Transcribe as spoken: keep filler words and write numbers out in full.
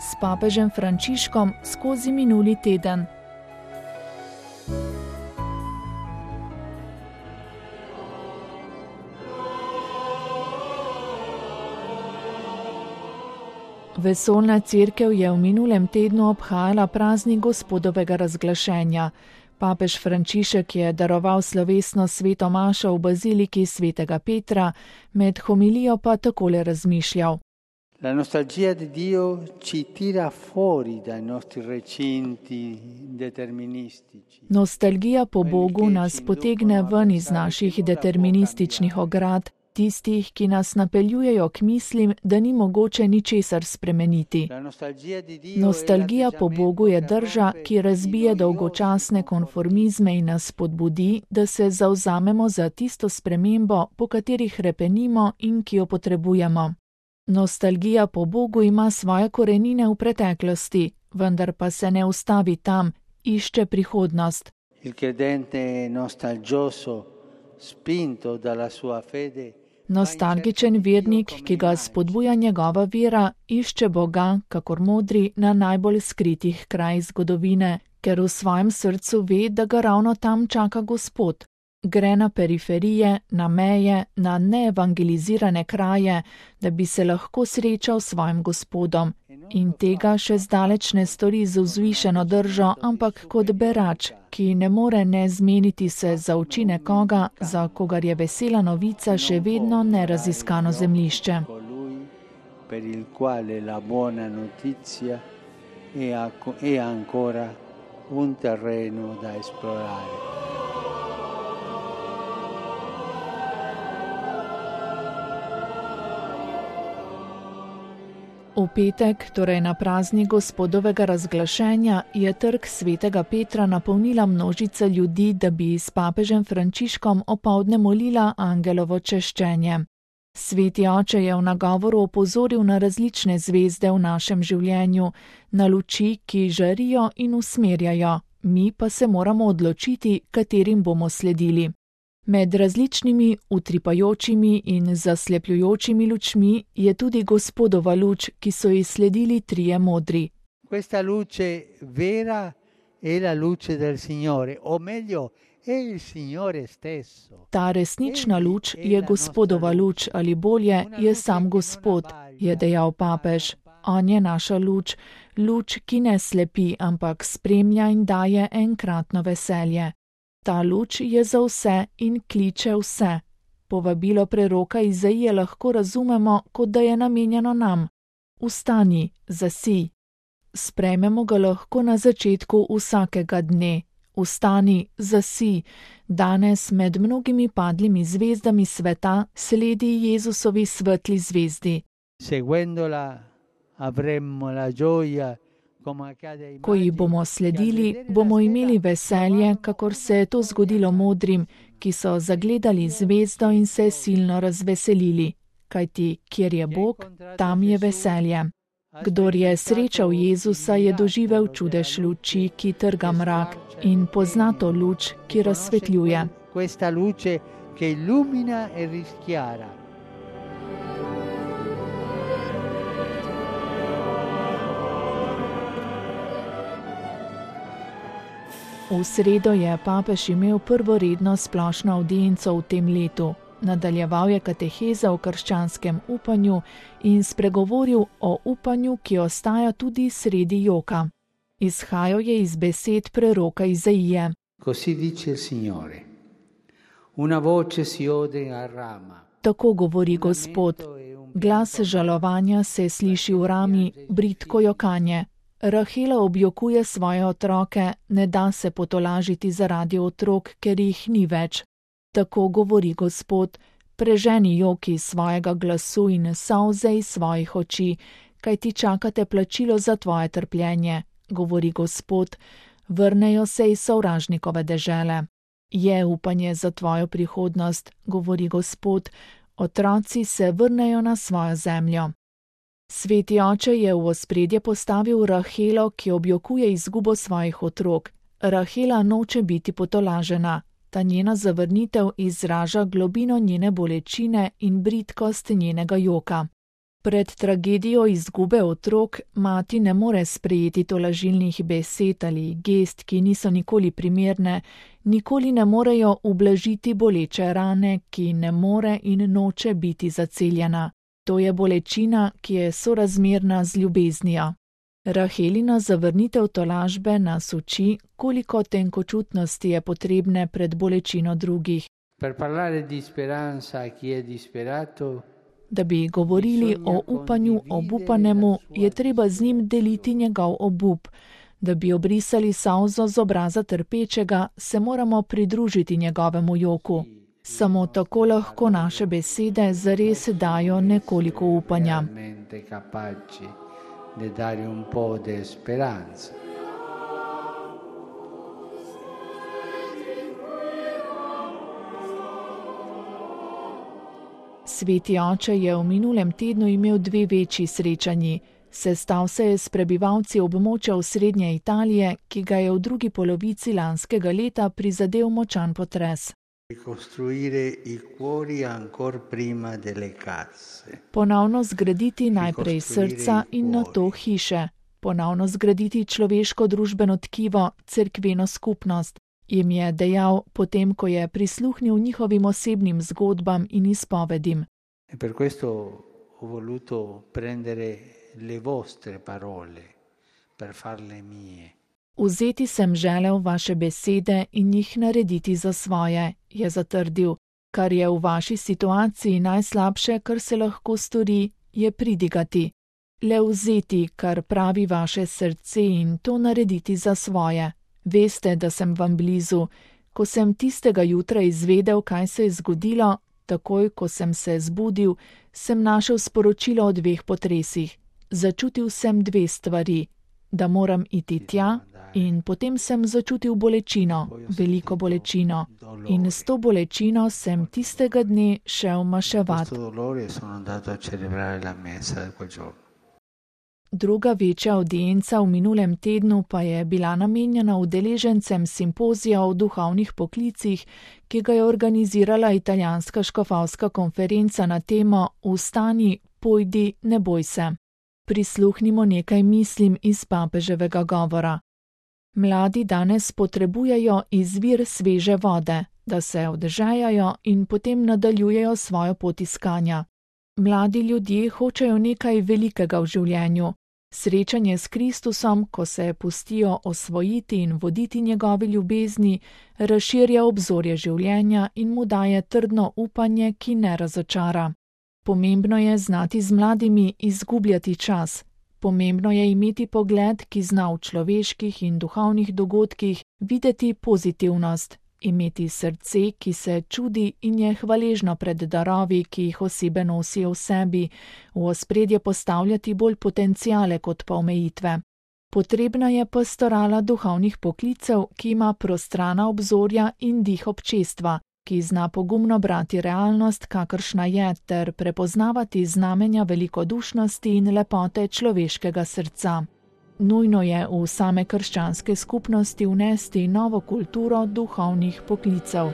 s papežem Frančiškom skozi minuli teden. Vesoljna cerkev je v minulem tednu obhajala praznik Gospodovega razglašenja. Papež Frančišek je daroval slovesno sveto mašo v baziliki svetega Petra, med homilijo pa takole razmišljal. La nostalgia di Dio ci tira fuori dai nostri recinti deterministici. Nostalgija po Bogu nas potegne ven iz naših determinističnih ograd, tistih, ki nas napeljujejo k mislim, da ni mogoče ničesar spremeniti. Nostalgija po Bogu je drža, ki razbije dolgočasne konformizme in nas spodbudi, da se zavzamemo za tisto spremembo, po kateri hrepenimo in ki jo potrebujemo. Nostalgija po Bogu ima svoje korenine v preteklosti, vendar pa se ne ustavi tam, išče prihodnost. Il credente nostalgioso, spinto dalla sua fede, Nostalgičen vernik, ki ga spodbuja njegova vera, išče Boga, kakor modri, na najbolj skritih krajih zgodovine, ker v svojem srcu ve, da ga ravno tam čaka Gospod. Gre na periferije, na meje, na neevangelizirane kraje, da bi se lahko srečal s svojim Gospodom. In tega še zdaleč ne stori z vzvišeno držo, ampak kot berač, ki ne more ne zmeniti se za oči nekoga, za kogar je vesela novica še vedno neraziskano zemljišče. Per il quale la buona notizia è ancora un terreno da esplorare. V petek, torej na praznik Gospodovega razglašenja, je trg svetega Petra napolnila množica ljudi, da bi s papežem Frančiškom opoldne molila angelovo češčenje. Sveti oče je v nagovoru opozoril na različne zvezde v našem življenju, na luči, ki žarijo in usmerjajo, mi pa se moramo odločiti, katerim bomo sledili. Med različnimi utripajočimi in zaslepljujočimi lučmi je tudi Gospodova luč, ki so ji sledili trije modri. Questa luce vera è la luce del Signore, o meglio, è il Signore stesso. Ta resnična luč je Gospodova luč, ali bolje, je sam Gospod, je dejal papež. On je naša luč, luč, ki ne slepi, ampak spremlja in daje enkratno veselje. Ta luč je za vse in kliče vse. Povabilo preroka Izaije lahko razumemo, kot da je namenjeno nam. Vstani, zasij. Sprejmemo ga lahko na začetku vsakega dne. Vstani, zasij. Danes med mnogimi padlimi zvezdami sveta sledi Jezusovi svetli zvezdi. Seguendola avremo la gioia. Ko ji bomo sledili, bomo imeli veselje, kakor se je to zgodilo modrim, ki so zagledali zvezdo in se silno razveselili. Kajti, kjer je Bog, tam je veselje. Kdor je srečal Jezusa, je doživel čudež luči, ki trga mrak, in pozna to luč, ki razsvetljuje. Questa luce che illumina e rischiara. V sredo je papež imel prvoredno splošno avdienco v tem letu. Nadaljeval je kateheza o krščanskem upanju in spregovoril o upanju, ki ostaja tudi sredi joka. Izhajal je iz besed preroka Izaije. Così dice il Signore. Una voce si ode a Rama. Tako govori Gospod. Glas žalovanja se sliši v Rami, bridko jokanje. Rahela objokuje svoje otroke, ne da se potolažiti zaradi otrok, ker jih ni več. Tako govori Gospod, preženi joki svojega glasu in solze iz svojih oči, kaj ti čakate plačilo za tvoje trpljenje, govori Gospod, vrnejo se iz sovražnikove dežele. Je upanje za tvojo prihodnost, govori Gospod, otroci se vrnejo na svojo zemljo. Sveti oče je v ospredje postavil Rahelo, ki objokuje izgubo svojih otrok. Rahela noče biti potolažena. Ta njena zavrnitev izraža globino njene bolečine in bridkost njenega joka. Pred tragedijo izgube otrok mati ne more sprejeti tolažilnih besed ali gest, ki niso nikoli primerne, nikoli ne morejo ublažiti boleče rane, ki ne more in noče biti zaceljena. To je bolečina, ki je sorazmerna z ljubeznijo. Rahelina zavrnitev tolažbe nas uči, koliko tenkočutnosti je potrebne pred bolečino drugih. Per parlare di speranza a chi è disperato, Da bi govorili o upanju obupanemu, je treba z njim deliti njegov obup. Da bi obrisali solzo z obraza trpečega, se moramo pridružiti njegovemu joku. Samo tako lahko naše besede zares dajo nekoliko upanja. Sveti oče je v minulem tednu imel dve večji srečanji. Sestal se je s prebivalci območja osrednje Italije, ki ga je v drugi polovici lanskega leta prizadel močan potres. Ponovno zgraditi najprej srca in nato hiše. Ponovno zgraditi človeško družbeno tkivo, cerkveno skupnost, jim je dejal, potem ko je prisluhnil njihovim osebnim zgodbam in izpovedim. Per questo ho voluto prendere le vostre parole per farle mie. Vzeti sem želel vaše besede in jih narediti za svoje, je zatrdil. Kar je v vaši situaciji najslabše, kar se lahko stori, je pridigati. Le vzeti, kar pravi vaše srce in to narediti za svoje. Veste, da sem vam blizu. Ko sem tistega jutra izvedel, kaj se je zgodilo, takoj, ko sem se zbudil, sem našel sporočilo o dveh potresih. Začutil sem dve stvari, da moram iti tja in potem sem začutil bolečino, veliko bolečino. In s to bolečino sem tistega dne šel maševat. Druga večja avdienca v minulem tednu pa je bila namenjena udeležencem simpozija o duhovnih poklicih, ki ga je organizirala italijanska škofovska konferenca na temo Vstani, pojdi, ne boj se. Prisluhnimo nekaj mislim iz papeževega govora. Mladi danes potrebujejo izvir sveže vode, da se odžejajo in potem nadaljujejo svojo pot iskanja. Mladi ljudje hočejo nekaj velikega v življenju. Srečanje s Kristusom, ko se pustijo osvojiti in voditi njegovi ljubezni, razširja obzorje življenja in mu daje trdno upanje, ki ne razočara. Pomembno je znati z mladimi izgubljati čas. Pomembno je imeti pogled, ki zna v človeških in duhovnih dogodkih videti pozitivnost, imeti srce, ki se čudi in je hvaležno pred darovi, ki jih osebe nosijo v sebi, v ospredje postavljati bolj potenciale kot pa omejitve. Potrebna je pastorala duhovnih poklicev, ki ima prostrana obzorja in dih občestva, ki zna pogumno brati realnost, kakršna je, ter prepoznavati znamenja velikodušnosti in lepote človeškega srca. Nujno je v same krščanske skupnosti vnesti novo kulturo duhovnih poklicev.